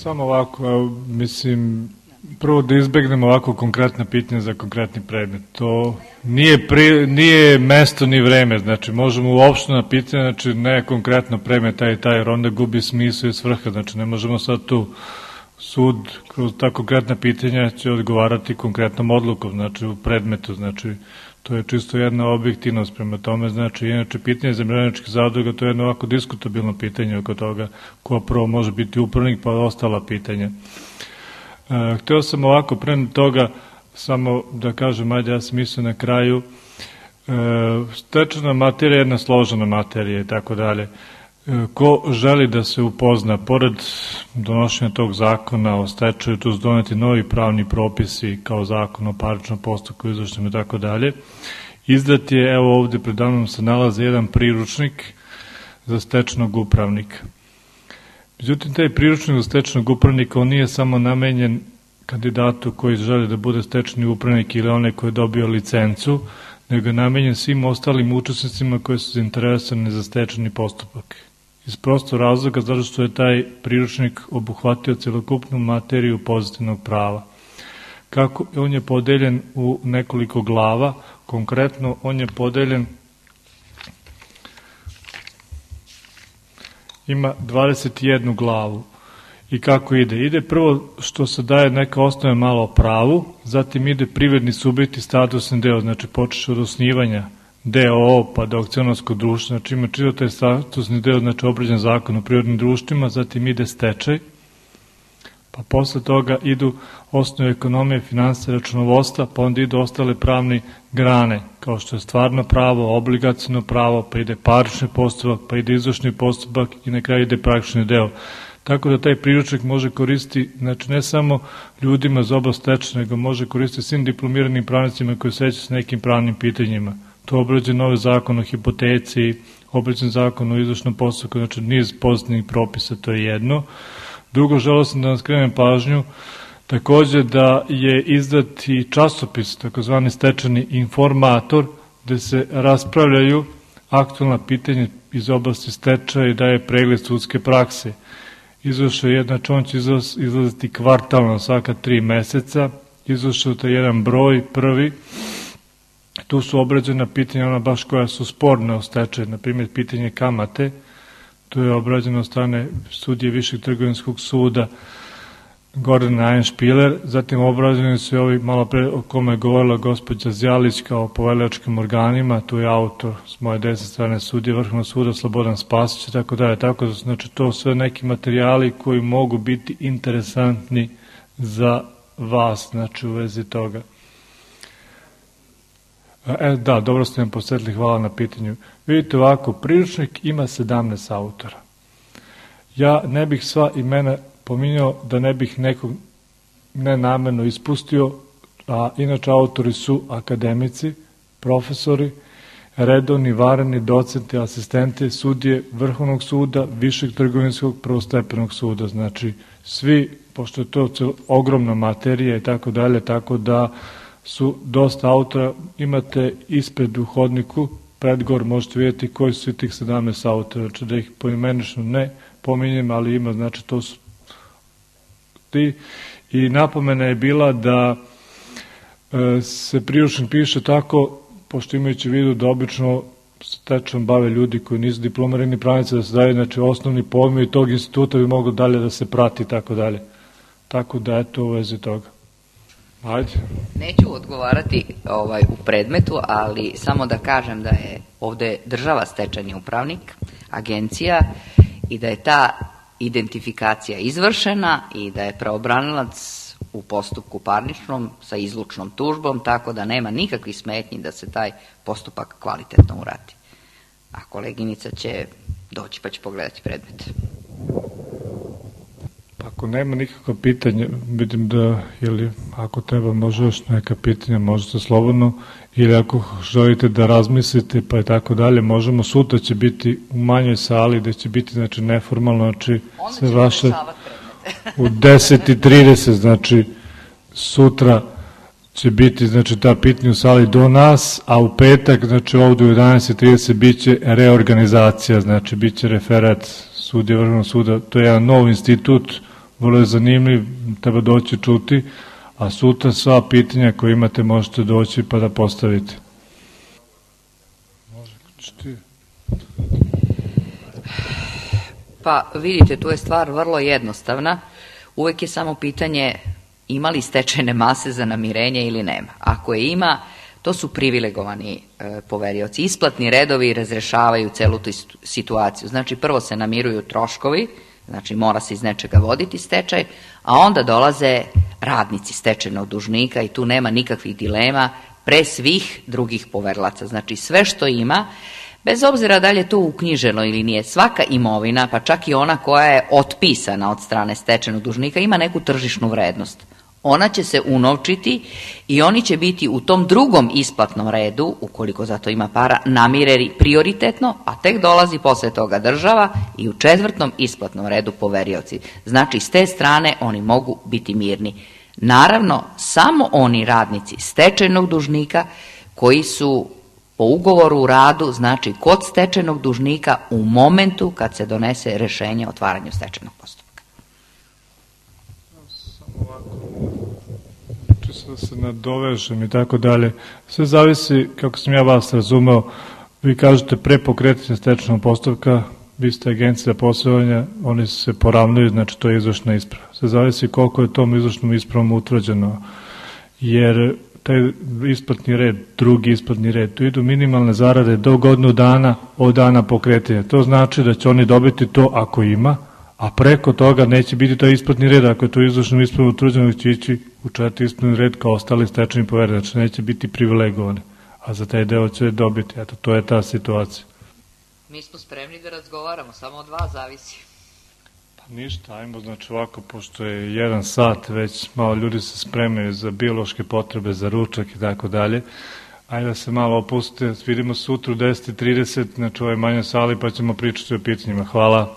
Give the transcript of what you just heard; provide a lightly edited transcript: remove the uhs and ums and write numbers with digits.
samo ovako, mislim, prvo da izbegnemo ovako konkretna pitanja za konkretni predmet. To nije mesto ni vreme, znači možemo uopšte na pitanje, znači ne konkretno predmet taj i taj, jer onda gubi smisao i svrha, znači ne možemo sad tu sud kroz ta konkretna pitanja će odgovarati konkretnom odlukom, znači u predmetu, znači to je čisto jedna objektivnost prema tome, znači inače pitanje zemljoradničkih zadruga to je jedno ovako diskutabilno pitanje oko toga ko prvo može biti upravnik pa ostala pitanja. Hteo sam ovako pre toga samo da kažem, ajde ja sam mislio na kraju, stečena materija je jedna složena materija i tako dalje. Ko želi da se upozna, pored donošenja tog zakona o stečaju, tu su doneti novi pravni propisi kao zakon o parničnom postupku, izvršnom i tako dalje, izdat je, evo ovde pred mnom se nalazi jedan priručnik za stečajnog upravnika. Međutim, taj priručnik za stečajnog upravnika, on nije samo namenjen kandidatu koji želi da bude stečajni upravnik ili onaj koji je dobio licencu, nego je namenjen svim ostalim učesnicima koji su zainteresovani za stečajni postupak. Iz prostog razloga zato što je taj priručnik obuhvatio celokupnu materiju pozitivnog prava. On je podeljen u nekoliko glava, konkretno on je podeljen, ima 21 glavu. I kako ide? Ide prvo što se daje neka osnove malo o pravu, zatim ide privredni subjekt i statusni deo, znači počeš od osnivanja DOO pa do akcionarskog društva, znači ima čitav taj statusni deo, znači obrađen zakon o privrednim društvima, zatim ide stečaj, pa posle toga idu osnove ekonomije, finansije, računovodstva, pa onda idu ostale pravne grane, kao što je stvarno pravo, obligaciono pravo, pa ide parnični postupak, pa ide izvršni postupak i na kraju ide praktični deo. Tako da taj priručnik može koristiti, znači ne samo ljudima za oblast stečaja, nego može koristiti svim diplomiranim pravnicima koji sećaju s nekim pravnim pitanjima. To je obrađen novi zakon o hipoteci, obrađen zakon o izvršnom postupku, znači niz pozitivnih propisa, to je jedno. Drugo, želeo sam da vam skrenem pažnju, takođe da je izdat i časopis, takozvani stečajni informator, gde se raspravljaju aktualna pitanja iz oblasti stečaja i daje pregled sudske prakse. Izvršao je znači on će izlaziti kvartalno svaka 3 meseca, izvršao je jedan broj prvi, tu su obrađena pitanja, ona baš koja su sporne o stečaju, na primjer pitanje kamate, to je obrađeno od strane sudije Višeg trgovinskog suda Gordana Einšpiler, zatim obrađeni su i ovi malo pre o kome je govorila gospođa Zjalić kao poverilačkim organima, tu je autor s moje desne strane sudije Vrhovnog suda Slobodan Spasić i tako dalje, tako da znači to sve neki materijali koji mogu biti interesantni za vas, znači u vezi toga. Da, dobro ste mi posjetili, hvala na pitanju. Vidite ovako, priručnik ima 17 autora. Ja ne bih sva imena pominjao da ne bih nekog nenamerno ispustio, a inače autori su akademici, profesori, redovni, vanredni, docenti, asistenti, sudije Vrhovnog suda, Višeg trgovinskog, prvostepenog suda. Znači, svi, pošto je to ogromna materija i tako dalje, tako da su dosta autora, imate ispred u hodniku, predgor možete vidjeti koji su tih 17 autora, znači da ih poimenično ne pominjem, ali ima, znači to su ti. I napomena je bila da se priručnik piše tako, pošto imajući vidu da obično stečajom bave ljudi koji nisu diplomirani pravnici, da se daje, znači osnovni pojmovi tog instituta bi moglo dalje da se prati i tako dalje. Tako da eto u vezi toga. Ajde. Neću odgovarati u predmetu, ali samo da kažem da je ovde država stečajni upravnik, agencija, i da je ta identifikacija izvršena i da je pravobranilac u postupku parničnom sa izlučnom tužbom, tako da nema nikakvih smetnji da se taj postupak kvalitetno uradi. A koleginica će doći pa će pogledati predmet. Ako nema nikakva pitanja, vidim da, ili ako treba može još neka pitanja, možete slobodno, ili ako želite da razmislite pa i tako dalje, možemo, sutra će biti u manjoj sali, gde će biti, znači, neformalno, znači, sve vaše u 10:30, znači, sutra će biti, znači, ta pitanja u sali do nas, a u petak, znači, ovdje u 11:30 bit će reorganizacija, znači, bit će referat sudije Vrhovnog suda, to je jedan nov institut vrlo je zanimljiv, treba doći čuti, a sutra sva pitanja koje imate možete doći pa da postavite. Pa vidite, tu je stvar vrlo jednostavna. Uvek je samo pitanje ima li stečajne mase za namirenje ili nema. Ako je ima, to su privilegovani poverioci. Isplatni redovi razrešavaju celu tu situaciju. Znači, prvo se namiruju troškovi, znači mora se iz nečega voditi stečaj, a onda dolaze radnici stečajnog dužnika i tu nema nikakvih dilema pre svih drugih poverilaca. Znači, sve što ima, bez obzira da li je to uknjiženo ili nije, svaka imovina, pa čak i ona koja je otpisana od strane stečajnog dužnika, ima neku tržišnu vrednost. Ona će se unovčiti i oni će biti u tom drugom isplatnom redu, ukoliko za to ima para, namireni prioritetno, a tek dolazi posle toga država i u četvrtnom isplatnom redu poverioci. Znači, s te strane oni mogu biti mirni. Naravno, samo oni radnici stečajnog dužnika koji su po ugovoru o radu, znači kod stečajnog dužnika u momentu kad se donese rešenje o otvaranju stečajnog postupka. Samo ovako, čisto da se nadovežem i tako dalje. Sve zavisi, kako sam ja vas razumeo, vi kažete pre pokretanja stečajnog postupka, vi ste agencija poslovanja, oni se poravnaju, znači to je izvršna isprava. Sve zavisi koliko je tom izvršnom ispravom utvrđeno, jer taj isplatni red, drugi isplatni red, tu idu minimalne zarade do godinu dana od dana pokretanja. To znači da će oni dobiti to ako ima, a preko toga neće biti taj isplatni red, ako je to izvršnom ispravom utvrđeno, će ići u četvrti isplatni red kao ostali stečajni poverioci, znači neće biti privilegovani, a za taj deo će dobiti. Eto, to je ta situacija. Mi smo spremni da razgovaramo, samo od vas zavisi. Ništa, ajmo znači ovako, pošto je 1 sat, već malo ljudi se spremaju za biološke potrebe, za ručak i tako dalje. Ajde da se malo opustite, vidimo sutra u 10:30, znači u ovoj manjoj sali, pa ćemo pričati o pitanjima. Hvala.